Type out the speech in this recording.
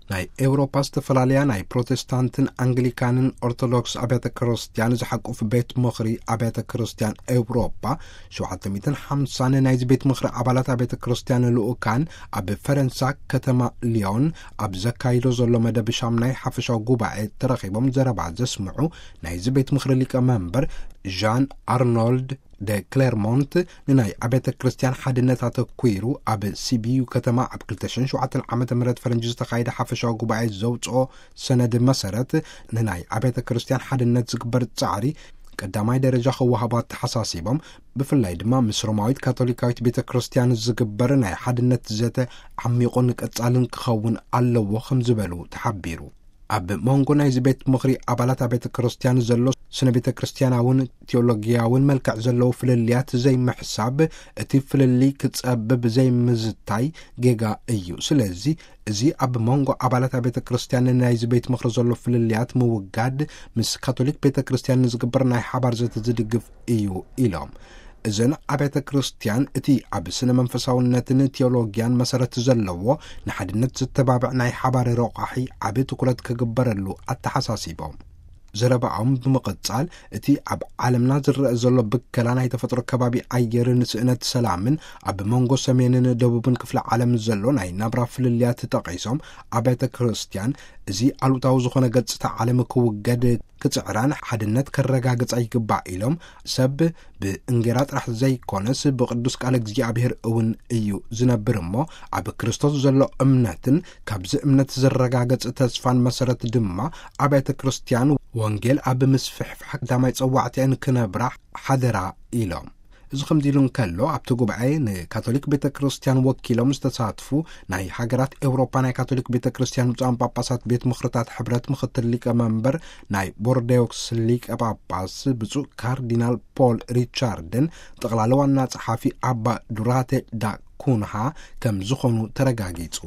ናይ ኤውሮፓ ዝተፈላለያ ናይ ፕሮቴስታንትን ኣንግሊካንን ኦርቶዶክስ ኣብያተ ክርስቲያን ዝሓቁፍ ቤት ምኽሪ ኣብያተ ክርስቲያን ኤውሮፓ፣ ሸውዓተ ሚእትን ሓምሳን ናይዚ ቤት ምኽሪ ኣባላት ኣብያተ ክርስቲያን ልኡካን ኣብ ፈረንሳ ከተማ ሊዮን ኣብ ዘካይዶ ዘሎ መደብ ሻምናይ ሓፈሻዊ ጉባኤ ተረኺቦም ዘረባ ዘስምዑ ናይዚ ቤት ምኽሪ ሊቀ መንበር ዣን ኣርኖልድ ደ ክሌርሞንት፣ ንናይ ኣብያተ ክርስቲያን ሓድነት ኣተኲሩ ኣብ ሲቢዩ ከተማ ኣብ ክልተ ሽሕን ሸውዓተን ዓመተ ምህረት ፈረንጂ ዝተኻየደ ሓፈሻዊ ጉባኤ ዘውፅኦ ሰነድ መሰረት፣ ንናይ ኣብያተ ክርስቲያን ሓድነት ዝግበር ጻዕሪ ቀዳማይ ደረጃ ክወሃቦ ኣተሓሳሲቦም፣ ብፍላይ ድማ ምስ ሮማዊት ካቶሊካዊት ቤተ ክርስቲያን ዝግበር ናይ ሓድነት ዘተ ዓሚቑን ቀጻልን ክኸውን ኣለዎ ከም ዝበሉ ተሓቢሩ። ኣብ መንጎ ናይዚ ቤት ምኽሪ ኣባላት ኣብያተ ክርስቲያን ዘሎ ስነ ቤተ ክርስቲያናውን ቴዎሎጊያውን መልክዕ ዘለዎ ፍልልያት ዘይምሕሳብ፣ እቲ ፍልልይ ክጸብብ ዘይምዝታይ ጌጋ እዩ። ስለዚ፣ እዚ ኣብ መንጎ ኣባላት ኣብያተ ክርስቲያን ናይዚ ቤት ምኽሪ ዘሎ ፍልልያት ምውጋድ፣ ምስ ካቶሊክ ቤተ ክርስቲያን ንዝግበር ናይ ሓባር ዘተ ዝድግፍ እዩ ኢሎም። እዘን ኣብያተ ክርስቲያን እቲ ኣብ ስነ መንፈሳውነትን ቴዎሎጊያን መሰረት ዘለዎ ንሓድነት ዝተባብዕ ናይ ሓባር ረቋሒ ዓቢ ትኩረት ክግበረሉ ኣተሓሳሲቦም። ዘረባኦም ብምቕጻል፣ እቲ ኣብ ዓለምና ዝረአ ዘሎ ብከላ ናይ ተፈጥሮ ከባቢ ኣየርን ስእነት ሰላምን ኣብ መንጎ ሰሜንን ደቡብን ክፍለ ዓለም ዘሎ ናይ ናብራ ፍልልያት ጠቒሶም፣ ኣብያተ ክርስቲያን እዚ ኣሉታዊ ዝኾነ ገጽታ ዓለም ክውገድ ክጽዕራን ሓድነት ከረጋግጻ ይግባእ ኢሎም፣ ሰብ ብእንጌራ ጥራሕ ዘይኮነስ ብቅዱስ ቃል እግዚኣብሔር እውን እዩ ዝነብር እሞ፣ ኣብ ክርስቶስ ዘሎ እምነትን ካብዚ እምነት ዝረጋገጽ ተስፋን መሰረት ድማ ኣብያተ ክርስቲያን ወንጌል ኣብ ምስፍሕፋሕ ቀዳማይ ጸዋዕቲኣን ክነብራ ሓደራ ኢሎም። እዚ ከምዚ ኢሉ እንከሎ፣ ኣብቲ ጉባኤ ንካቶሊክ ቤተ ክርስቲያን ወኪሎም ዝተሳትፉ ናይ ሃገራት ኤውሮፓ ናይ ካቶሊክ ቤተ ክርስቲያን ብፁዓን ጳጳሳት ቤት ምኽርታት ሕብረት ምኽትል ሊቀ መንበር ናይ ቦርዴዮክስ ሊቀ ጳጳስ ብፁዕ ካርዲናል ፖል ሪቻርድን ጠቕላሊ ዋና ጸሓፊ ኣባ ዱራቴ ዳ ኩንሃ ከም ዝኾኑ ተረጋጊጹ።